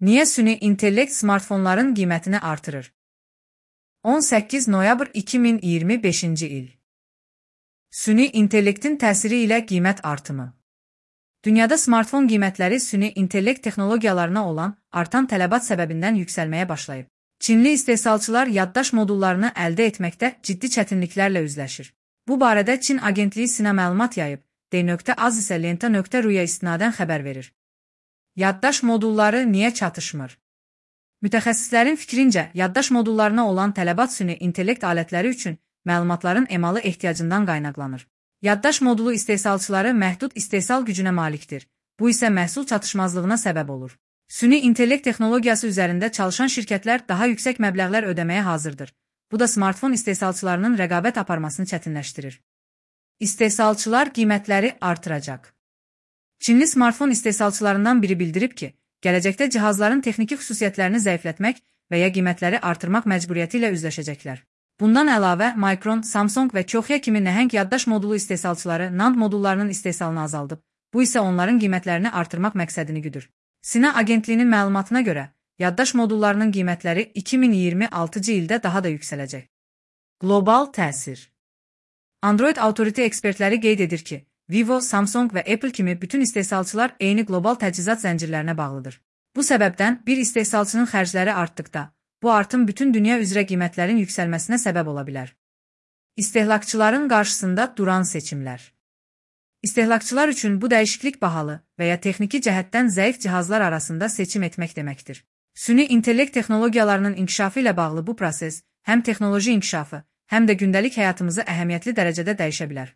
Niyə süni intellekt smartfonların qiymətini artırır? 18 noyabr 2025-ci il. Süni intellektin təsiri ilə qiymət artımı. Dünyada smartfon qiymətləri süni intellekt texnologiyalarına olan artan tələbat səbəbindən yüksəlməyə başlayıb. Çinli istehsalçılar yaddaş modullarını əldə etməkdə ciddi çətinliklərlə üzləşir. Bu barədə Çin agentliyi Sina məlumat yayıb, D.Az isə Lenta.ru-ya istinadən xəbər verir. Yaddaş modulları niyə çatışmır? Mütəxəssislərin fikrincə, yaddaş modullarına olan tələbat süni intellekt alətləri üçün məlumatların emalı ehtiyacından qaynaqlanır. Yaddaş modulu istehsalçıları məhdud istehsal gücünə malikdir. Bu isə məhsul çatışmazlığına səbəb olur. Süni intellekt texnologiyası üzərində çalışan şirkətlər daha yüksək məbləğlər ödəməyə hazırdır. Bu da smartfon istehsalçılarının rəqabət aparmasını çətinləşdirir. İstehsalçılar qiymətləri artıracaq. Çinli smartfon istehsalçılarından biri bildirib ki, gələcəkdə cihazların texniki xüsusiyyətlərini zəiflətmək və ya qiymətləri artırmaq məcburiyyəti ilə üzləşəcəklər. Bundan əlavə, Micron, Samsung və Kioxia kimi nəhəng yaddaş modulu istehsalçıları NAND modullarının istehsalını azaldıb. Bu isə onların qiymətlərini artırmaq məqsədini güdür. Sina agentliyinin məlumatına görə, yaddaş modullarının qiymətləri 2026-cı ildə daha da yüksələcək. Qlobal təsir. Android Authority ekspertləri qeyd edir ki, Vivo, Samsung və Apple kimi bütün istehsalçılar eyni qlobal təchizat zəncirlərinə bağlıdır. Bu səbəbdən bir istehsalçının xərcləri artdıqda, bu artım bütün dünya üzrə qiymətlərin yüksəlməsinə səbəb ola bilər. İstehlakçıların qarşısında duran seçimlər. İstehlakçılar üçün bu dəyişiklik bahalı və ya texniki cəhətdən zəif cihazlar arasında seçim etmək deməkdir. Süni intellekt texnologiyalarının inkişafı ilə bağlı bu proses həm texnoloji inkişafı, həm də gündəlik həyatımızı əhəmiyyətli dərəcədə dəyişə bilər.